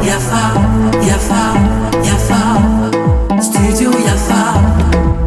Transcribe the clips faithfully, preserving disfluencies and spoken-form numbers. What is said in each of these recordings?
Yafa, Yafa, Yafa, Studio Yafa.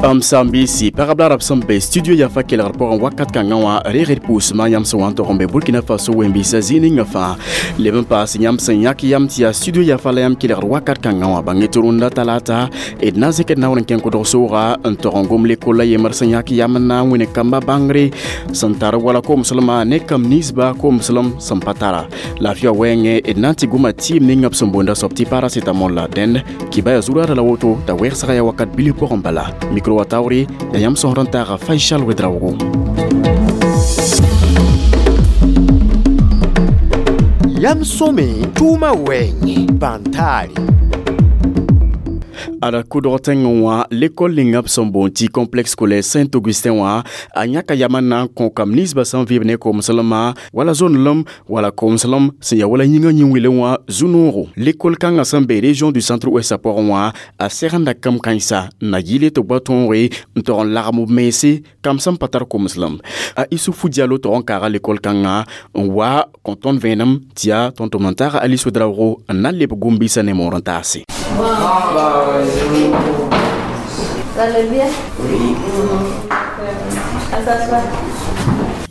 M sãn-biisi pagb la rab sẽn be studio Yafa kelgr pʋgẽ wakat kãngã wã reegd pʋʋsmã yãmb sẽn wa n tog n be Burkina Faso wẽn-biisã zĩig ninga fãa leb n paas yãmb sẽn yãk yam tɩ yaa studio Yafa la yãmb kelgr wakat kãngã wã bãng tɩ rũndã talata d na n zẽkd naoor n kẽng kʋdg sooga n tog n gom lekol la yembr sẽn yãk yam n na n wẽne kamba bãngre sẽn tar wala komslmã ne kam ninsba komslem sẽn pa tara laafɩa wɛɛngẽ d na n tɩ goma tɩɩm ninga b sẽn boonda soab tɩ paracetamol la dẽnd kɩba yaa zuraada la woto t'a wɛgsga yaa wakat bilf pʋgẽ bala micro wa taoore ya yãmb sõsd n taaga Faisal Ouedraogo. Yam sõme tʋʋmã wɛɛngẽ bãn-taare. Ada kʋdg tẽngẽ wã l'école ninga b sẽn boond tɩ complexe scolaire Saint-Augustin wã a yãka yam n na n kõ kam ninsbã sẽn vɩɩb ne komslmã wala zonlem wala komslem sẽn ya wala yĩngã yĩn-wɩlẽ wã zu-noogo l'école kãngã sẽn be région du centre ouest pʋgẽ wã a segenda kam kãensa n na yɩle tɩ b wa tõoge n tog n lagem b mense kam sẽn pa tar komslem a Isufu Diallo tog n kaaga l'école kãngã n wa kõ tõnd vẽenem tɩ yaa tõnd-tʋmd n taaga Alice Ouedraogo n na n leb gom-biisã ne moor n taase. Vous allez bien? Oui.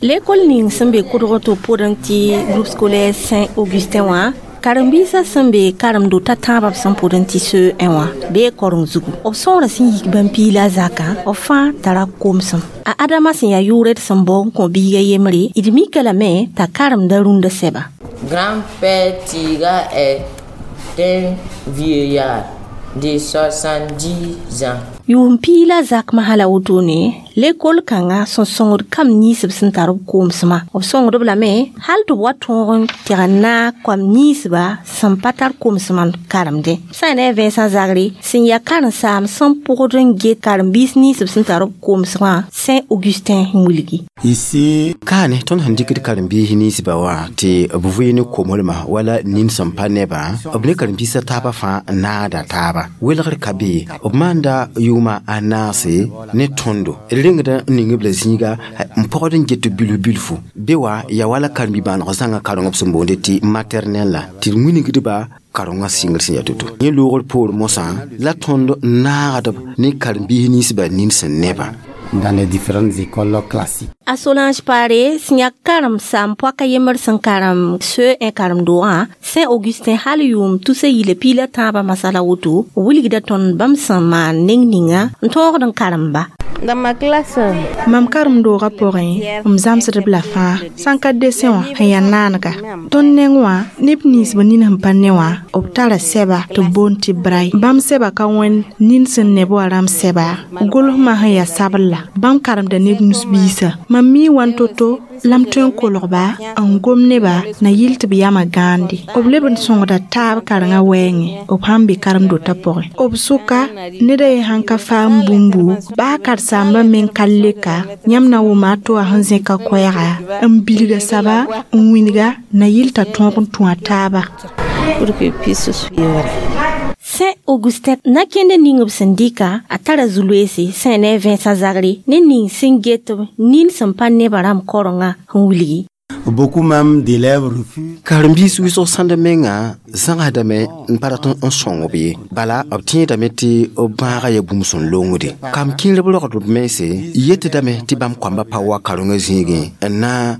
L'école ning sẽn be kʋdg tɩ pʋdẽ tɩ groupe scolaire Saint-Augustin wã karen-biisã sẽn be karem-dota tãabã b sẽn pʋdẽ tɩ C E un wã bee koreng zugu b sõora sẽn yik bãmb-piila zakã b fãa tara komsem a Adama sẽn yaa yʋʋrd sẽn bao n kõ biiga yembre d mika lame t'a karemda rũndã sɛba. Grand-père Tiga est un vieillard de soixante-dix ans. Yʋʋm piila zakmã hala wotone lekol kãngã sẽn sõngd kam ninsb sẽn tar b koomsmã b sõngd b lame hal tɩ b wa tõog n tɩg n naag koam ninsba sẽn pa tar komsmã karemdẽ sã ne a Vincent Zagre sẽn yaa karen-saam sẽn pʋgd n get karen-biis ninsb sẽn tar b komsmã Saint-Augustin n wilgi. Ici kaane tõnd sẽn dɩkd karen-biis ninsba wã tɩ b vɩ ne komslmã wala nin sẽn pa nebã b ne karen-biisã taabã fãa naada taaba welgr ka be b maanda yʋʋma a naase ne tõndo d rengd n ning b la zĩiga n pɔgd n get bilf bilfu be wa ya wala karen-bi-bãaneg zãngã kareng b sẽn boonde tɩ maternel la tɩ d wilgdba karengã sɩngr sẽn yaa to-to yẽ loogr poor mosã la tõnd naagdb ne karen-biis ninsbã nin sẽn nebã. Dans les différentes écoles classiques. A Solange Pare sẽn yaa karem-saam poaka yembr sẽn karem C E un karem-doogã Saint-Augustin hal yʋʋm tusa yila piila tãabã masala woto wilgda tõnd bãmb sẽn maan neng ninga n tõogd n karemba. Dans ma classe, mam karem-doogã pʋgẽ m zãmsdb la fãa sãn ka desẽ wã sẽn yaa naanega tõnd neng wã neb nins b nin sẽn pa ne wã b tara sɛba tɩ b boond tɩ braille bãmb sɛba ka wẽnd nin sẽn neb wã rãmb sɛba gʋlsmã sẽn yaa sabl la bãmb karemda neb nus-biisã mam mi wan to-to la m tõe n kolgba n gom neba na yɩl tɩ b yamã gãande b leb n sõngda taab karengã wɛɛngẽ b sãn be karem-dotã pʋgẽ b sʋka ned a ye sãn ka faam bũmbu baa karen-saambã meng ka leka yãmb na wʋma a to wã sẽn zẽka koɛɛga n bilga saba n wĩnga na yɩl t'a tõog n tũ a taaba. Pour qu'il puisse suivre. Saint-Augustin na kẽnd ning b sẽn dɩka a tara zu-loeese sã ne Vincent Zagre ne ning sẽn get b nin sẽn pa nebã rãmb korengã n wilgi. Beaucoup même d'élèves refusent. Karen-biis wʋsg sãnd menga zãgsdame n pa rat n sõng b ye bala b tẽedame tɩ b bãagã yaa bũmb sẽn longde kam kẽerb rogd b mense yetdame tɩ bãmb koamba pa wa karengã zĩigẽ n na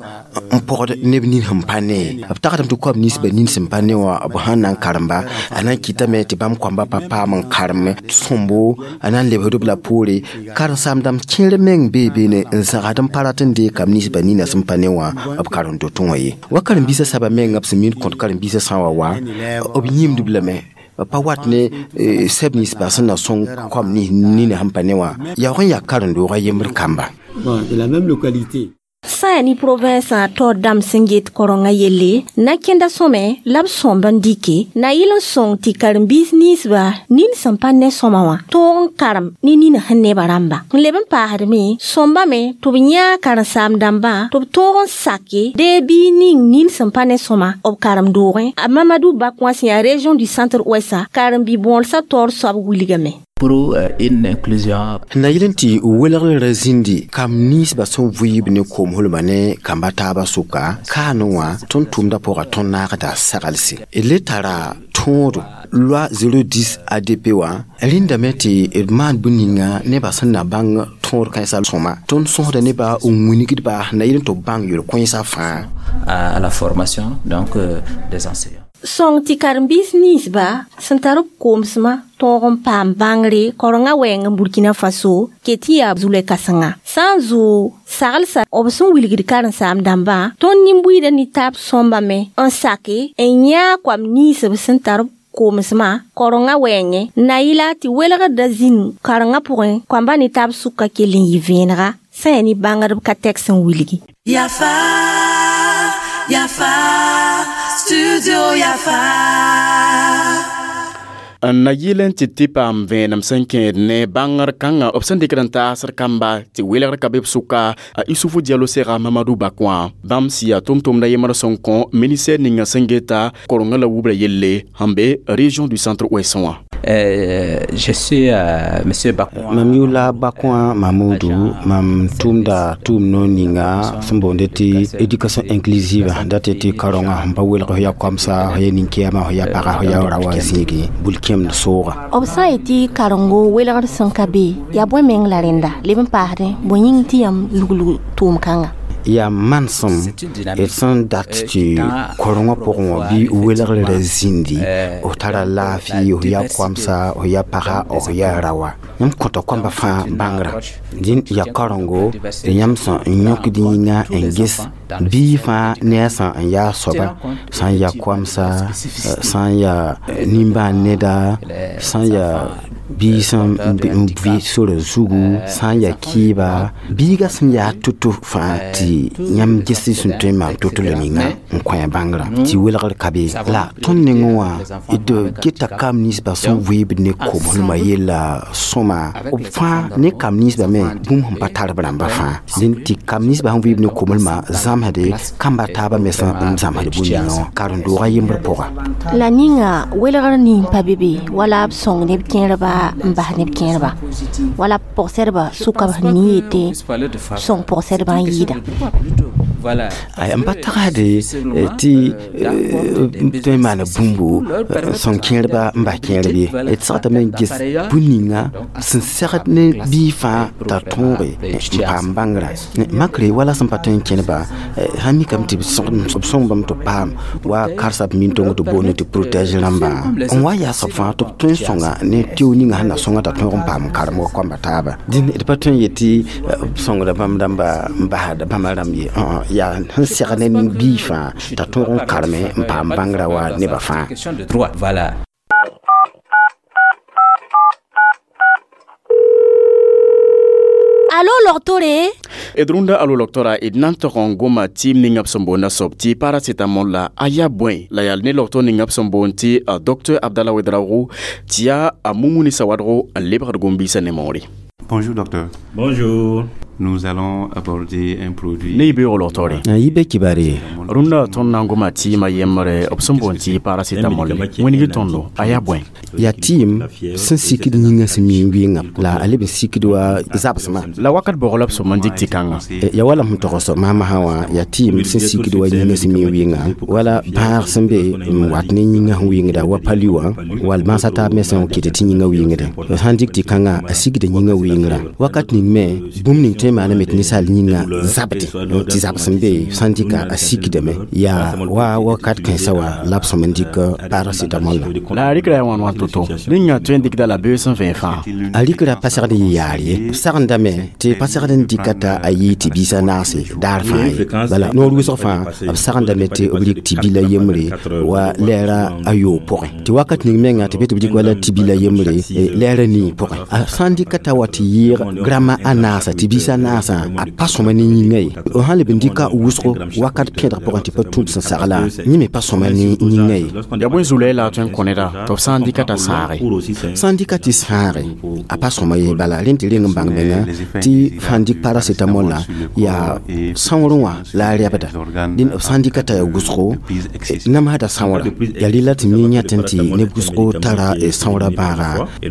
n pɔgd neb nin sẽn pa ne b tagsdame tɩ koam ninsbã nin sẽn pa ne wã b sãn na n karemba a na n kɩtame tɩ bãmb koamba pa paam n karem sõmbo a na n lebsd b la poore karen-saam dãmb kẽer meng bee beene n zãgsd n pa rat n deeg kam ninsbã nina sẽn pa ne wã b karen-dotẽ wã ye wa karen-biisã saba menga b sẽn min kõt karen-biisã sã wa wa b yĩmdb lame pa wat ne sɛb ninsbã sẽn na sõng koam nina sẽn pa ne wã yaoog n yaa karen-doogã yembr kamba. Bon, de la même localité. Sã yaa ne province a taoor dãmb sẽn get korengã yelle na kẽnda sõme la b sõmb n dɩke na yɩl n sõng tɩ karen-biis ninsba nin sẽn pa ne sõma wã tõog n karem ne nina sẽn nebã rãmba n leb n paasdme sõmbame tɩ b yãag karen-saam dãmbã tɩ b tõog n sake dee bii ning nin sẽn pa ne sõma b karem-doogẽ a Mamadou Bakwa sẽn yaa région du centre ouest karen-bi-bõolsã taoor soab wilgame. Pour une inclusion. Na yɩl n tɩ welgr zĩndi kam ninsbã sẽn vɩɩb ne koom-hulmã ne kamba taabã sʋka kaane wã tõnd tʋʋmdã pʋga tõnd naagda saglse d le tara tõodo loi zéro dix A D P wã rẽndame tɩ d maan bũn ninga nebã sẽn na bãng tõod kãensã sõma tõnd sõsda nebã n wilgdba na yɩl n tɩ b bãng yel-kõensã fãa. À la formation donc euh, des enseignants. Sõng tɩ karen-biis ninsba sẽn tar b koomsmã tõog n paam bãngre kaorengã wɛɛng n Burkina Faso ket n yaa zulɛ kãsenga sã n zoog saglsa b sẽn wilgd karen-saam dãmbã tõnd nin-buiidã ne taab sõmbame n sake n yãag koam ninsb sẽn tar b koomsmã kaorengã wɛɛngẽ na yɩla tɩ welgda zĩnd karengã pʋgẽ koamba ne taab sʋka kell n yɩ vẽenega sã yaa ne bãngdb ka tɛk sẽn wilgi. Yafa, Yafa, Studio Yafa. N na yɩl n tɩ tɩ paam vẽenem sẽn kẽed ne bãngr kãngã b sẽn dɩkd n taasd kamba tɩ welgr ka be b sʋka a Isufu Diallo sega Mamadou Bakõa bãmb sɩya tʋm-tʋmda yembr sẽn kõ ministère ninga sẽn geta korengã la wubra yelle sẽn be région du Centre Ouest wã. Euh, je suis euh, monsieur Bakouan. Mam yʋla Bakõa Mamudu, mam tʋʋmda tʋʋm no ninga sẽn boonde tɩ éducation inclusive dat tɩ karengã sẽn pa welg f ya koamsa f ya nin-kɛɛma f ya paga f ya ra wa zĩigi bul-kẽemd sooga. B sã n yetɩ karengo welgr sẽn ka be yaa bõe meng la rẽnda leb n paasdẽ bõe yĩng tɩ yãmb luglg tʋʋm kãnga? Yaa manesem d sẽn dat tɩ korengã pʋgẽ wã bɩ welgr ra zĩndi f tara laafɩ f ya koamsa f ya paga f ya rawa yãmb kõta koamba fãa bãngrã dĩn yaa karengo d yãmb sẽn n yõkd yĩnga n ges bii fãa ne a sã n yaa soaba sã n yaa koamsa sã n yaa nimbãan neda sã n yaa bii sẽn n vɩ sora zugu sã n yaa kɩɩba biiga sẽn yaa to-to fãa tɩ yãmb ges sẽn tõe n maan to-to la ninga n kõ a bãngrã tɩ welgr ka be la tõnd nengẽ wã d geta kam ninsbã sẽn vɩɩbd ne koom-hulmã yella sõma b fãa ne kam ninsbã me bũmb sẽn pa tar b rãmbã fãa dẽn tɩ kam ninsbã sẽn vɩɩb ne koom-hulmã zãmsde kamba taabã me sẽn n zãmsd bũmb ninga wã karen-doogã yembr pʋga. La ninga welgr nin pa be be wala b sõng neb kẽerba n bas neb kẽerba wala pʋgsedba sʋka b nin yetɩ sõng pʋgsedbã n yɩɩda. Voilà. Ay n pa tagsde tɩ tõe n maana bũmbo sõng kẽerba n bas kẽerb ye d segdame n ges bũn ninga sẽn segd ne bii fãa t'a tõoge n paam bãngrã makre wala sẽn pa tõe n kẽneba sãn mikame tɩ b sõng bãmb tɩ b paam wa karsa b min-tong tɩ boonde tɩ protège rãmbã n wa yaa soab fãa tɩ b tõe n sõnga ne teo ninga sẽn na sõnga t'a tõog n paam karemgã koamba taaba dĩn d pa tõe n yetɩ b sõngda bãmb rãmba n basda bãmba rãmb ye yaa sẽn segd ne bii fãa t'a tõog n kareme n paam bãngrã wa nebã fãa. Question de droit. Voilà. Alo logtore. D rũndã alo logtora d na n tog n goma tɩɩm ninga b sẽn boonda soab tɩ paracetamol la a yaa bõe la yaa ne logto ninga b sẽn boond tɩ docteur Abdallah Ouedraogo tɩ yaa a Mumuni Sawadgo n lebgd gom-biisã ne moore. Bonjour docteur. Bonjour. Nous allons aborder un produit. Ne y beoog logtoore. Yɩ be kibare. Rũndã tõnd na n goma tɩɩmã yembre b sẽn boond tɩ paracetamol wĩngi tõndo a yaa bõe? Yaa tɩɩm sẽn sikd yĩngã sẽn mi n wɩnga la a leb n sikd wa zabsmã. La wakat bʋg la b sõm n dɩk tɩ kãngã? Ya wala sẽn togs maasmã wã yaa tɩɩm sẽn sikd wa yĩngã sẽn mi n wɩnga wala bãag sẽn be n wat ne yĩngã sẽn wɩngda wa palu wã wall mansã taab me sẽn kɩt tɩ yĩngã wɩngdẽ sã n dɩk tɩ kãngã a sikda yĩngã wɩngrã wakat ning me bũmb ning tõe n maaname tɩ ninsaal yĩngã zabdẽ tɩ zabs n be sã n dɩka a sikdame yaa wa wakat kãensã wã la b sõm n dɩk paracetamol la. La a rɩkra yaa wãn wãn to-to rĩngã tõe n dɩkda la beoos sẽn vẽ fãa? A rɩkra pa segd n yɩ yaar ye b sagendame tɩ pa segd n dɩka t'a a yɩɩ tɩ biisã naase daar fãa ye bala noor wʋsg fãa b sagendame tɩ b rɩk tɩ bila yembre wa lɛɛra a yoob pʋgẽ tɩ wakat ning menga tɩ be tɩ b dɩk wala tɩ bila yembre lɛɛra nii pʋgẽ a sã n dɩka t'a wa tɩ yɩɩg grama a naasa tɩ biisã naasã a pa sõma ne yĩngã ye sã leb n dɩka wʋsgo wakat pẽdg pʋgẽ tɩ pa tũud sẽn sagla yẽ me pa sõma ne yĩngã ye yaa bõe zulɛ la a tõe n kõ neda tɩ b sã n dɩka t'a sãage sã n dɩka tɩ sãage a pa sõma ye bala rẽnd tɩ reng n bãng menga tɩ fãn dɩk paracetamol la yaa sãoorẽ wã la a rɛbda dẽnd b sã n dɩka t'a yaa wʋsgo namsda sãoora yaa rela tɩ mi yãtẽ tɩ neb wʋsgo tara sãoora bãaga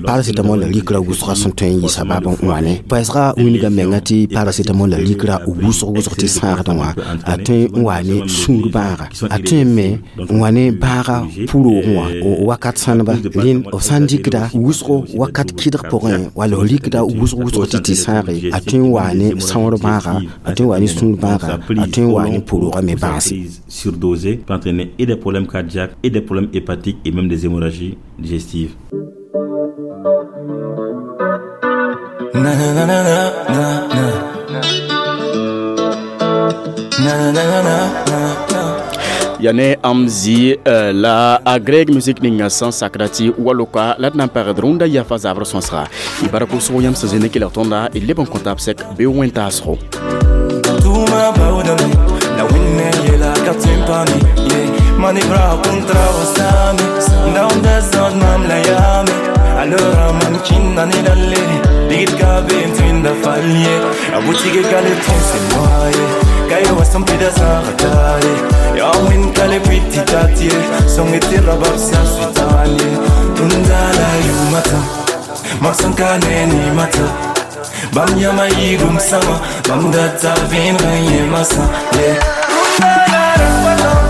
paracetamol la rikra wʋsga sẽn tõe n yɩ sabab n wã ne paɛsga wilga menga tɩ paracetamol la rikra wʋsg wʋsg tɩ sãagdẽ wã a tõe n wa ne sũur bãaga a tõe me n wa ne bãaga pʋroogẽ wã wakat sãneba rẽnd b sã n dɩkda wʋsgo wakat kɩdg pʋgẽ wala f rikda wʋsg wʋsg tɩ tɩ sãage a tõe n wa ne sãoor bãaga a tõe n wa ne sũur bãaga a tõe n wa ne pʋroogã me bãase. Surdosé peut entraîner et des problèmes cardiaques et des problèmes hépatiques et même des hémorragies digestives. Na na na na na na na na na na na na Ya ne am zi la a Greg Music ninga sẽn sakda tɩ waloka la d na n pagd rũndã yafa zabr sõsga y bark wʋsgo yãmb sẽn zĩnd n kelg tõnda y leb n kõ taab sɛk bee wẽn-taasgo. Bam yama yigum sama, bam data vin renye masa, yeah.